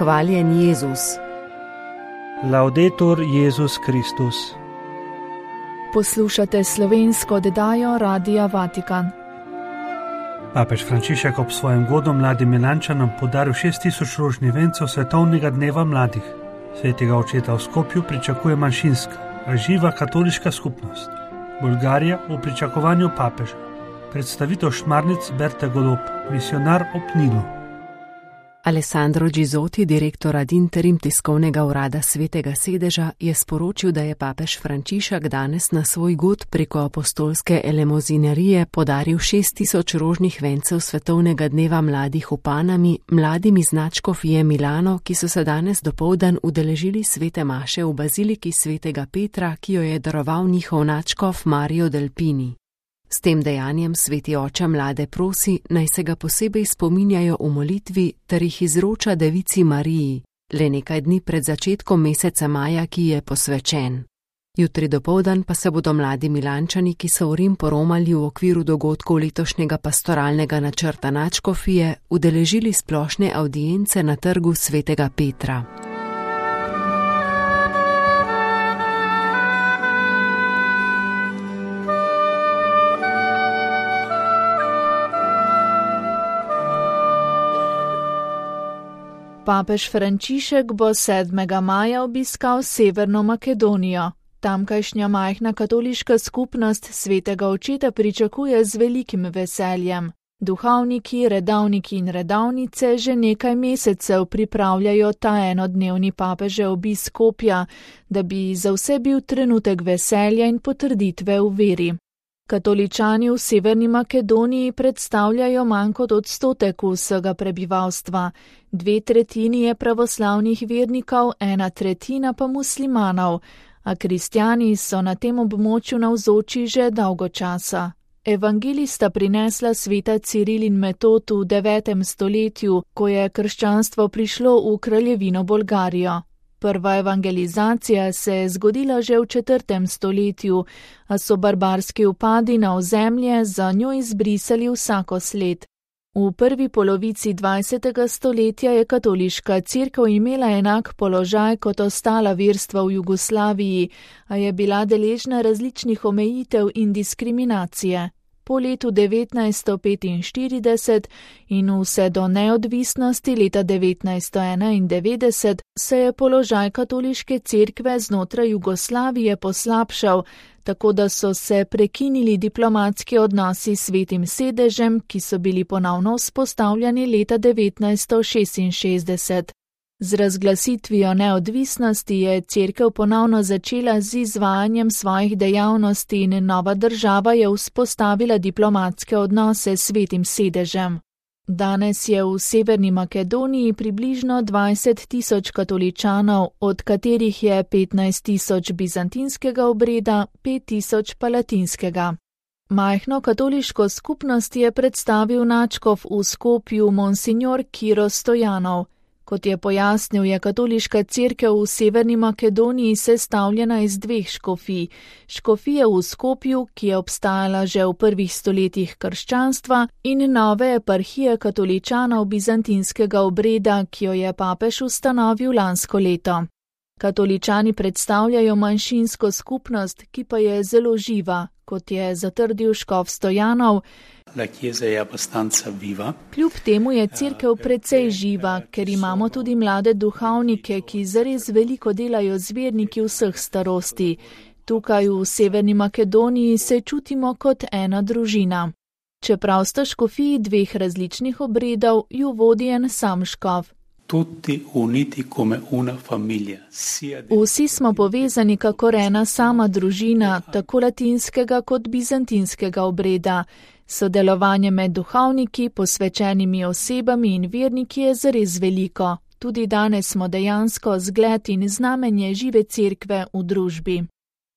Hvaljen Jezus. Laudetur Jezus Kristus. Poslušate slovensko oddajo Radia Vatikan. Papež Frančišek ob svojem godu mladim Milančanom podaril 6000 rožnih vencev svetovnega dneva mladih. Svetega očeta v Skopju pričakuje manjšinska, a živa katoliška skupnost. Bolgarija v pričakovanju papeža. Predstavitev šmarnic Berte Golob, misionar ob Nilu. Alessandro Gizotti, direktor ad interim tiskovnega urada Svetega sedeža, je sporočil, da je papež Frančišek danes na svoj god preko apostolske elemozinerije podaril 6000 rožnih vencev svetovnega dneva mladih v Panami, mladim iz nadškofije Milano, ki so se danes dopoldan udeležili svete maše v baziliki svetega Petra, ki jo je daroval njihov nadškof Mario Delpini. S tem dejanjem sveti oče mlade prosi, naj se ga posebej spominjajo v molitvi ter jih izroča devici Mariji, le nekaj dni pred začetkom meseca maja, ki je posvečen. Jutri dopoldan pa se bodo mladi Milančani, ki so v Rim poromali v okviru dogodkov letošnjega pastoralnega načrta nadškofije, udeležili splošne avdience na trgu svetega Petra. Papež Frančišek bo 7. maja obiskal Severno Makedonijo. Tamkajšnja majhna katoliška skupnost svetega očeta pričakuje z velikim veseljem. Duhovniki, redavniki in redavnice že nekaj mesecev pripravljajo ta enodnevni papežev obisk Skopja, da bi za vse bil trenutek veselja in potrditve v veri. Katoličani v Severni Makedoniji predstavljajo manj kot odstotek vsega prebivalstva. 2/3 je pravoslavnih vernikov, 1/3 pa muslimanov, a kristjani so na tem območju navzoči že dolgo časa. Evangelista prinesla sveta Ciril in Metod v 9. stoletju, ko je krščanstvo prišlo v kraljevino Bolgarijo. Prva evangelizacija se je zgodila že v 4. stoletju, a so barbarski vpadi na ozemlje za njo izbrisali vsako sled. V prvi polovici 20. stoletja je katoliška cerkev imela enak položaj kot ostala verstva v Jugoslaviji, a je bila deležna različnih omejitev in diskriminacije. Po letu 1945 in vse do neodvisnosti leta 1991 se je položaj katoliške cerkve znotraj Jugoslavije poslabšal, tako da so se prekinili diplomatski odnosi s Svetim sedežem, ki so bili ponovno vzpostavljeni leta 1966. Z razglasitvijo neodvisnosti je cerkev ponovno začela z izvajanjem svojih dejavnosti in nova država je vzpostavila diplomatske odnose s Svetim sedežem. Danes je v Severni Makedoniji približno 20 000 katoličanov, od katerih je 15 000 bizantinskega obreda, 5 000 pa latinskega. Majhno katoliško skupnost je predstavil nadškof v Skopju monsignor Kiro Stojanov. Kot je pojasnil, je katoliška cerkev v Severni Makedoniji sestavljena iz 2 škofij. Škofije v Skopju, ki je obstajala že v prvih stoletjih krščanstva, in nove eparhije katoličanov bizantinskega obreda, ki jo je papež ustanovil lansko leto. Katoličani predstavljajo manjšinsko skupnost, ki pa je zelo živa, kot je zatrdil škof Stojanov. Kljub temu je cerkev precej živa, ker imamo tudi mlade duhovnike, ki zares veliko delajo z verniki vseh starosti. Tukaj v Severni Makedoniji se čutimo kot ena družina. Čeprav sta škofiji 2 različnih obredov, ju vodi en sam škof. Vsi smo povezani kakor ena sama družina, tako latinskega kot bizantinskega obreda. Sodelovanje med duhovniki, posvečenimi osebami in verniki je zares veliko. Tudi danes smo dejansko zgled in znamenje žive cerkve v družbi.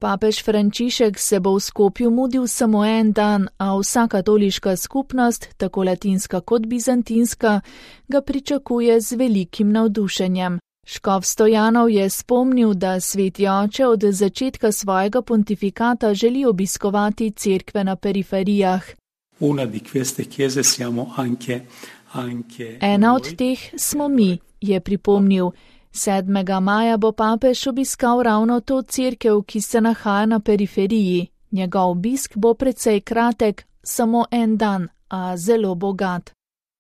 Papež Frančišek se bo v Skopju mudil samo en dan, a vsa katoliška skupnost, tako latinska kot bizantinska, ga pričakuje z velikim navdušenjem. Škof Stojanov je spomnil, da sveti oče od začetka svojega pontifikata želi obiskovati cerkve na periferijah. Ena od teh smo mi, je pripomnil. 7. maja bo papež obiskal ravno to cerkev, ki se nahaja na periferiji. Njegov obisk bo precej kratek, samo en dan, a zelo bogat.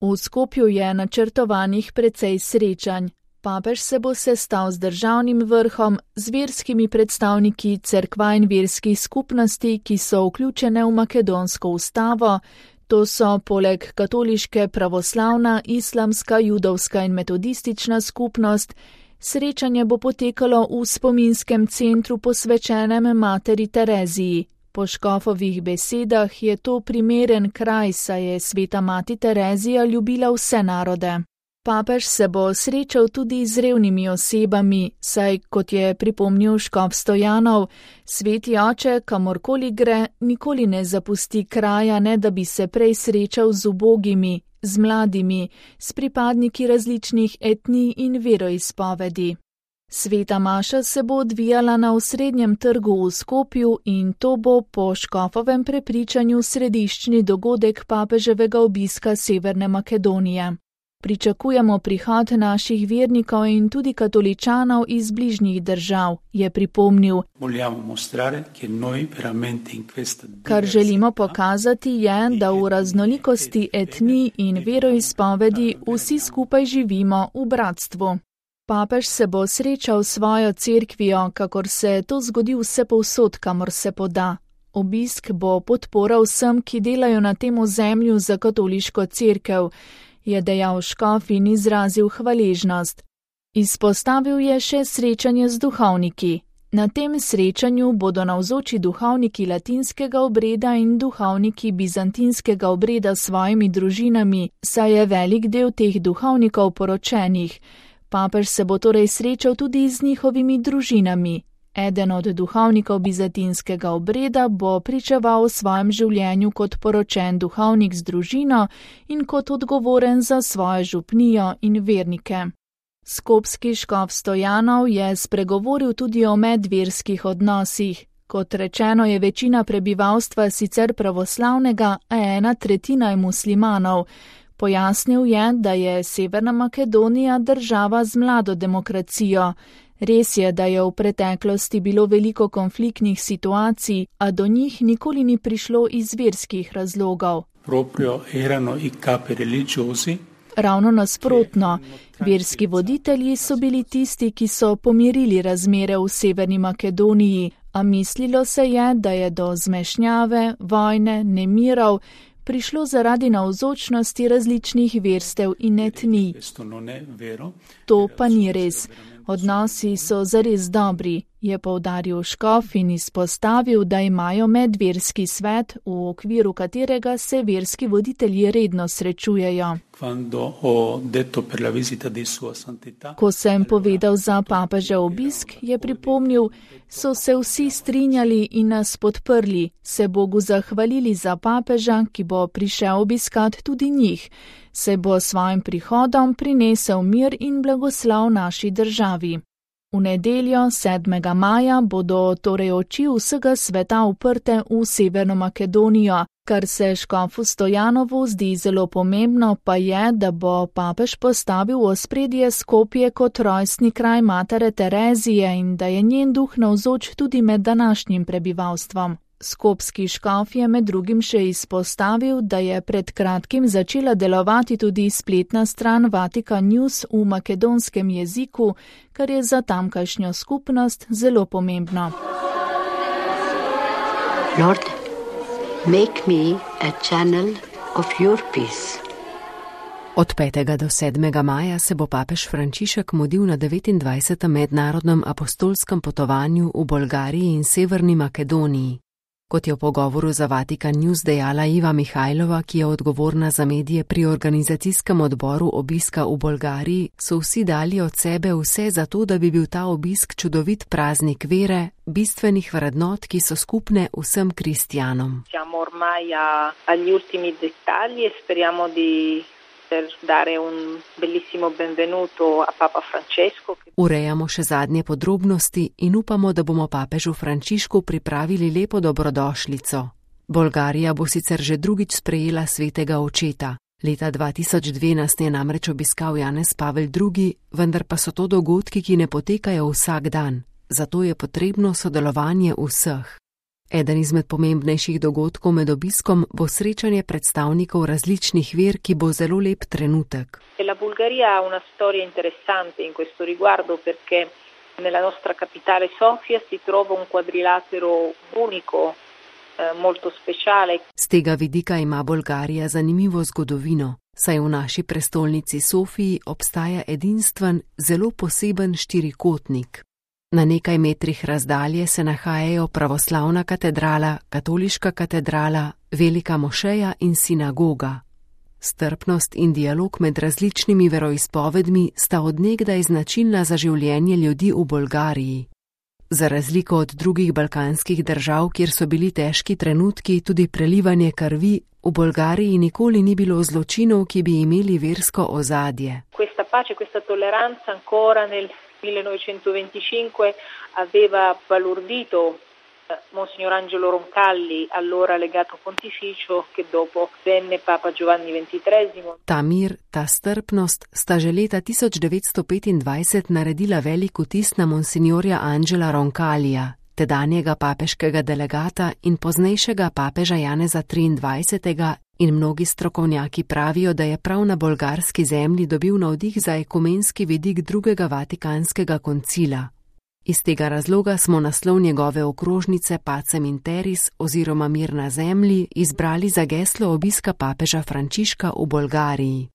V Skopju je načrtovanih precej srečanj. Papež se bo sestal z državnim vrhom, z verskimi predstavniki cerkva in verskih skupnosti, ki so vključene v makedonsko ustavo. To so poleg katoliške, pravoslavna, islamska, judovska in metodistična skupnost. Srečanje bo potekalo v spominskem centru posvečenem materi Tereziji. Po škofovih besedah je to primeren kraj, saj je sveta mati Terezija ljubila vse narode. Papež se bo srečal tudi z revnimi osebami, saj, kot je pripomnil škof Stojanov, sveti oče, kamorkoli gre, nikoli ne zapusti kraja, ne da bi se prej srečal z ubogimi, z mladimi, s pripadniki različnih etnij in veroizpovedi. Sveta maša se bo odvijala na osrednjem trgu v Skopju in to bo po škofovem prepričanju središčni dogodek papeževega obiska Severne Makedonije. Pričakujemo prihod naših vernikov in tudi katoličanov iz bližnjih držav, je pripomnil. Kar želimo pokazati je, da v raznolikosti etnij in veroizpovedi vsi skupaj živimo v bratstvu. Papež se bo srečal s svojo cerkvijo, kakor se to zgodi vsepovsod, kamor se poda. Obisk bo podpora vsem, ki delajo na tem ozemlju za katoliško cerkev, je dejal škof in izrazil hvaležnost. Izpostavil je še srečanje z duhovniki. Na tem srečanju bodo navzoči duhovniki latinskega obreda in duhovniki bizantinskega obreda s svojimi družinami, saj je velik del teh duhovnikov poročenih. Papež se bo torej srečal tudi z njihovimi družinami. Eden od duhovnikov bizantinskega obreda bo pričeval o svojem življenju kot poročen duhovnik z družino in kot odgovoren za svojo župnijo in vernike. Skopski škof Stojanov je spregovoril tudi o medverskih odnosih. Kot rečeno, je večina prebivalstva sicer pravoslavnega, a 1/3 je muslimanov. Pojasnil je, da je Severna Makedonija država z mlado demokracijo. Res je, da je v preteklosti bilo veliko konfliktnih situacij, a do njih nikoli ni prišlo iz verskih razlogov. Ravno nasprotno, verski voditelji so bili tisti, ki so pomirili razmere v Severni Makedoniji, a mislilo se je, da je do zmešnjave, vojne, nemirov prišlo zaradi navzočnosti različnih verstev in etnij. To pa ni res. Odnosi so zares dobri, je poudaril škof in izpostavil, da imajo medverski svet, v okviru katerega se verski voditelji redno srečujejo. Ko sem povedal za papežev obisk, je pripomnil, so se vsi strinjali in nas podprli, se Bogu zahvalili za papeža, ki bo prišel obiskat tudi njih, se bo svojim prihodom prinesel mir in blagoslov naši državi. V nedeljo, 7. maja, bodo torej oči vsega sveta uprte v Severno Makedonijo. Kar se škofu Stojanovu zdi zelo pomembno, pa je, da bo papež postavil v ospredje Skopje kot rojstni kraj matere Terezije in da je njen duh navzoč tudi med današnjim prebivalstvom. Skopski škof je med drugim še izpostavil, da je pred kratkim začela delovati tudi spletna stran Vatikan News v makedonskem jeziku, kar je za tamkajšnjo skupnost zelo pomembno. Lord, make me a channel of your peace. Od 5. do 7. maja se bo papež Frančišek mudil na 29. mednarodnem apostolskem potovanju v Bolgariji in Severni Makedoniji. Kot je v pogovoru za Vatikan News dejala Iva Mihajlova, ki je odgovorna za medije pri organizacijskem odboru obiska v Bolgariji, so vsi dali od sebe vse za to, da bi bil ta obisk čudovit praznik vere, bistvenih vrednot, ki so skupne vsem kristjanom. Urejamo še zadnje podrobnosti in upamo, da bomo papežu Frančišku pripravili lepo dobrodošlico. Bolgarija bo sicer že drugič sprejela svetega očeta. Leta 2002 nas je namreč obiskal Janez Pavel II, vendar pa so to dogodki, ki ne potekajo vsak dan, zato je potrebno sodelovanje vseh. Eden izmed pomembnejših dogodkov med obiskom bo srečanje predstavnikov različnih ver, ki bo zelo lep trenutek. La Bulgaria ha una storia interessante in questo riguardo perché nella nostra capitale Sofia si trova un quadrilatero unico, molto speciale. Z tega vidika ima Bolgarija zanimivo zgodovino, saj v naši prestolnici Sofiji obstaja edinstven, zelo poseben štirikotnik. Na nekaj metrih razdalje se nahajajo pravoslavna katedrala, katoliška katedrala, velika mošeja in sinagoga. Strpnost in dialog med različnimi veroizpovedmi sta od nekdaj značilna za življenje ljudi v Bolgariji. Za razliko od drugih balkanskih držav, kjer so bili težki trenutki, tudi prelivanje krvi, v Bolgariji nikoli ni bilo zločinov, ki bi imeli versko ozadje. Questa pace, questa tolleranza ancora nel 1925 aveva balordito Monsignor Angelo Roncalli, allora legato pontificio, che dopo venne Papa Giovanni XXIII. Ta mir, ta strpnost sta že leta 1925 naredila velik vtis na monsignorja Angela Roncallija, tedanjega papeškega delegata in poznejšega papeža Janeza XXIII, in mnogi strokovnjaki pravijo, da je prav na bolgarski zemlji dobil navdih za ekumenski vidik drugega vatikanskega koncila. Iz tega razloga smo naslov njegove okrožnice Pacem in Teris oziroma Mir na zemlji izbrali za geslo obiska papeža Frančiška v Bolgariji.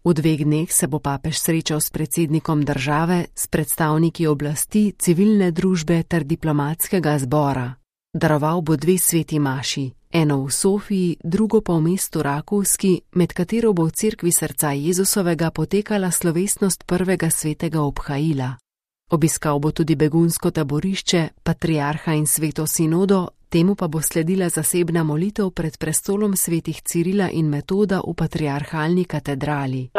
V 2 dneh se bo papež srečal s predsednikom države, s predstavniki oblasti, civilne družbe ter diplomatskega zbora. Daroval bo 2 sveti maši, eno v Sofiji, drugo pa v mestu Rakovski, med katero bo v cerkvi srca Jezusovega potekala slovesnost prvega svetega obhajila. Obiskal bo tudi begunsko taborišče, patriarha in sveto sinodo, temu pa bo sledila zasebna molitev pred prestolom svetih Cirila in Metoda v patriarhalni katedrali.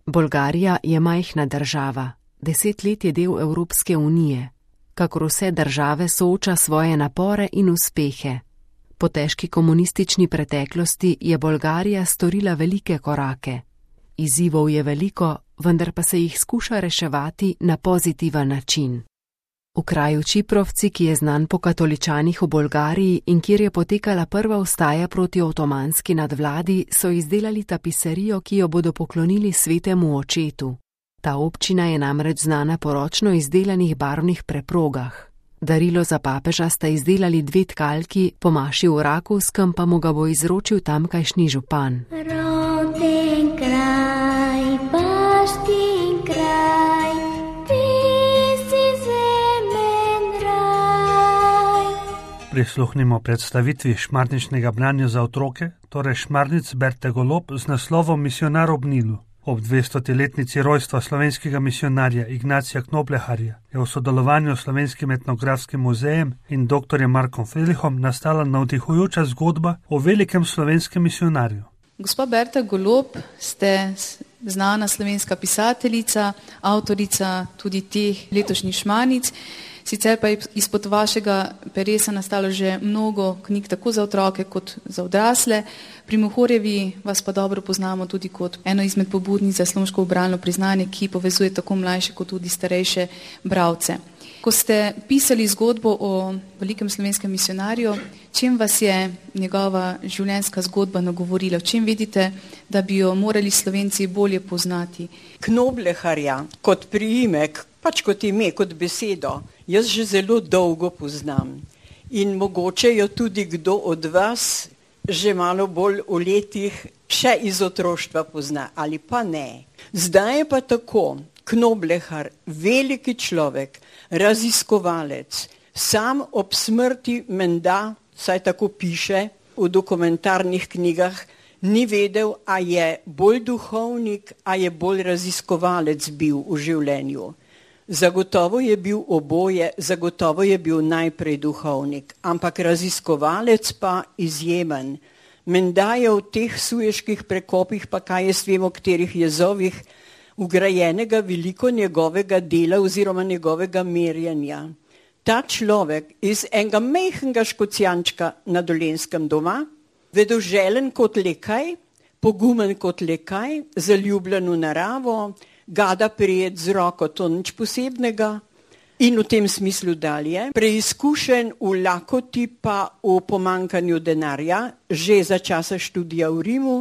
Bolgarija je majhna država, 10 let je del Evropske unije. Kakor vse države sooča svoje napore in uspehe. Po težki komunistični preteklosti je Bolgarija storila velike korake. Izzivov je veliko, vendar pa se jih skuša reševati na pozitiven način. V kraju Čiprovci, ki je znan po katoličanih v Bolgariji in kjer je potekala prva vstaja proti otomanski nadvladi, so izdelali tapiserijo, ki jo bodo poklonili svetemu očetu. Ta občina je namreč znana po ročno izdelanih barvnih preprogah. Darilo za papeža sta izdelali 2 tkalki, po maši v Rakovskem pa mu ga bo izročil tamkajšnji župan. Prisluhnimo predstavitvi šmarničnega branja za otroke, torej Šmarnic Berte Golob z naslovom Misionar ob Nilu. Ob 200-letnici rojstva slovenskega misionarja Ignacija Knobleharja je v sodelovanju s Slovenskim etnografskim muzejem in dr. Markom Felihom nastala navdihujoča zgodba o velikem slovenskem misionarju. Gospa Berta Golob, ste znana slovenska pisateljica, avtorica tudi teh letošnjih Šmarnic. Sicer pa je izpod vašega peresa nastalo že mnogo knjig tako za otroke kot za odrasle. Pri Mohorjevi vas pa dobro poznamo tudi kot eno izmed pobudnic za slovensko bralno priznanje, ki povezuje tako mlajše kot tudi starejše bralce. Ko ste pisali zgodbo o velikem slovenskem misionarju, čem vas je njegova življenjska zgodba nagovorila? Čem vidite, da bi jo morali Slovenci bolje poznati? Knobleharja kot priimek, pač kot ime, kot besedo, jaz že zelo dolgo poznam. In mogoče jo tudi kdo od vas že malo bolj v letih še iz otroštva pozna, ali pa ne. Zdaj je pa tako, Knoblehar, veliki človek, raziskovalec, sam ob smrti menda, saj tako piše v dokumentarnih knjigah, ni vedel, a je bolj duhovnik, a je bolj raziskovalec bil v življenju. Zagotovo je bil oboje, zagotovo je bil najprej duhovnik, ampak raziskovalec pa izjemen. Menda je v teh sujeških prekopih, pa kaj jaz vem, o katerih jezovih, ugrajenega veliko njegovega dela oziroma njegovega merjenja. ta človek iz enega majhnega Škocjančka na Dolenjskem doma, vedoželen kot lekaj, pogumen kot lekaj, zaljubljen v naravo, gada prijet z roko, to nič posebnega in v tem smislu dalje. Preizkušen v lakoti pa v pomankanju denarja, že za časa študija v Rimu,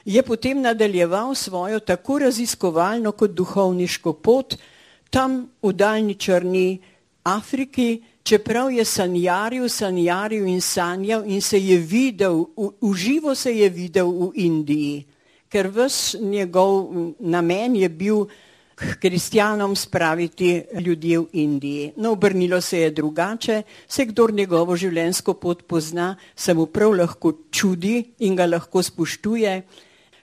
je potem nadaljeval svojo tako raziskovalno kot duhovniško pot tam v daljni črni Afriki, čeprav je sanjaril in sanjal in se je videl, uživo se je videl v Indiji, ker ves njegov namen je bil k kristjanom spraviti ljudi v Indiji. No, obrnilo se je drugače, se kdor njegovo življenjsko pot pozna, se mu prav lahko čudi in ga lahko spoštuje.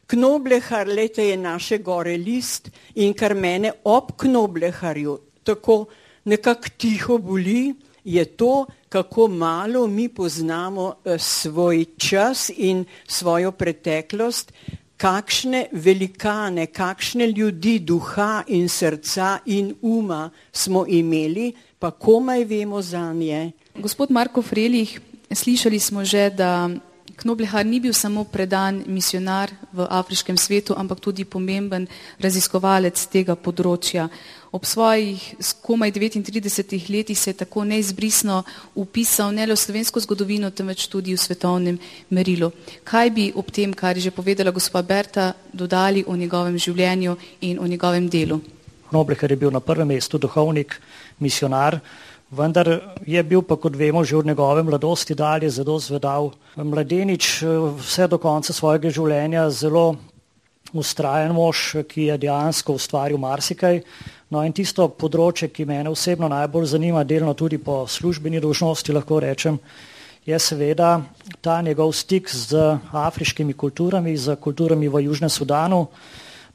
Knoblehar, lejte, je naše gore list in kar mene ob Knobleharju tako nekako tiho boli, je to, kako malo mi poznamo svoj čas in svojo preteklost, kakšne velikane, kakšne ljudi duha in srca in uma smo imeli, pa komaj vemo zanje. Gospod Marko Frelih, slišali smo že, da Knoblehar ni bil samo predan misionar v afriškem svetu, ampak tudi pomemben raziskovalec tega področja. Ob svojih komaj 39 letih se je tako neizbrisno upisal ne le v slovensko zgodovino, temveč tudi v svetovnem merilu. Kaj bi ob tem, kar je že povedala gospa Berta, dodali o njegovem življenju in o njegovem delu? Knoblehar je bil na prvem mestu duhovnik, misionar, vendar je bil pa, kot vemo, že od njegove mladosti dalje zelo zvedav. Mladenič vse do konca svojega življenja zelo vztrajen mož, ki je dejansko ustvaril marsikaj. No in tisto področje, ki mene osebno najbolj zanima, delno tudi po službeni dolžnosti, lahko rečem, je seveda ta njegov stik z afriškimi kulturami, z kulturami v Južnem Sudanu,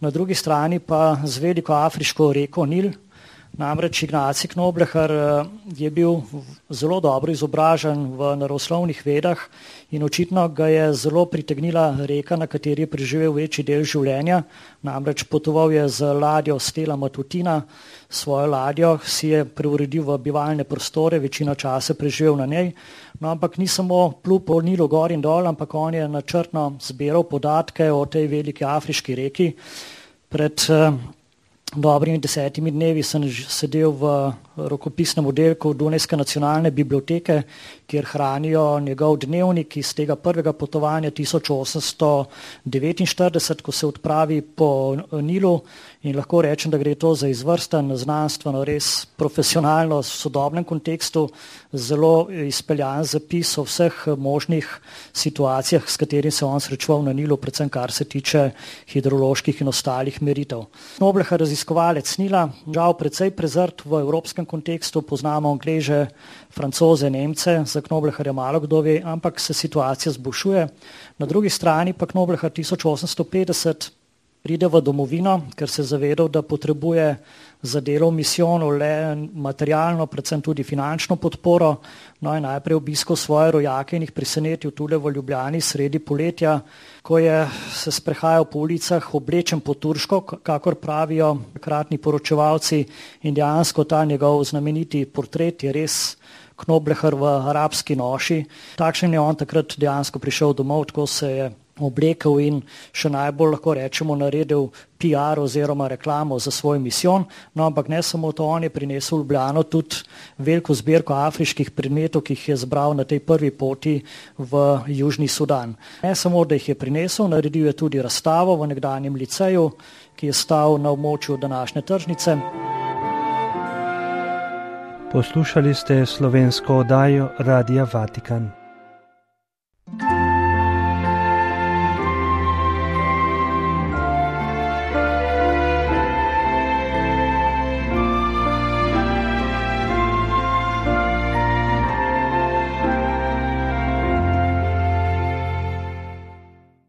na drugi strani pa z veliko afriško reko Nil. Namreč Ignacij Knoblehar je bil zelo dobro izobražen v naravoslovnih vedah in očitno ga je zelo pritegnila reka, na kateri je preživel večji del življenja. Namreč potoval je z ladjo Stella Matutina, svojo ladjo si je preuredil v bivalne prostore, večino časa preživel na njej. No, ampak ni samo plul po Nilu gor in dol, ampak on je načrtno zbiral podatke o tej veliki afriški reki. Pred dobrimi 10 dnevi sem sedel v rokopisnem oddelku Dunajske nacionalne biblioteke, kjer hranijo njegov dnevnik iz tega prvega potovanja 1849, ko se odpravi po Nilu, in lahko rečem, da gre to za izvrsten, znanstveno, res profesionalno, v sodobnem kontekstu, zelo izpeljan zapis o vseh možnih situacijah, s katerim se on srečeval na Nilu, predvsem kar se tiče hidroloških in ostalih meritev. Knoblehar, raziskovalec Nila, žal precej prezrt v evropskem kontekstu, poznamo Angleže, Francoze, Nemce, za Knobleharja malo kdo ve, ampak se situacija zboljšuje. Na drugi strani pa Knoblehar 1850 pride v domovino, ker se je zavedal, da potrebuje za delo v misijonu le materialno, predvsem tudi finančno podporo. No in najprej obiskal svoje rojake in jih presenetil tule v Ljubljani sredi poletja, ko je se sprehajal po ulicah oblečen po turško, kakor pravijo takratni poročevalci, in dejansko ta njegov znameniti portret je res Knoblehar v arabski noši. Takšen je on takrat dejansko prišel domov, tako se je oblekel in še najbolj lahko rečemo naredil PR oziroma reklamo za svoj misijon. No, ampak ne samo to, on je prinesel v Ljubljano tudi veliko zbirko afriških predmetov, ki jih je zbral na tej prvi poti v Južni Sudan. Ne samo, da jih je prinesel, naredil je tudi razstavo v nekdanjem liceju, ki je stal na območju današnje tržnice. Poslušali ste slovensko oddajo Radia Vatikan.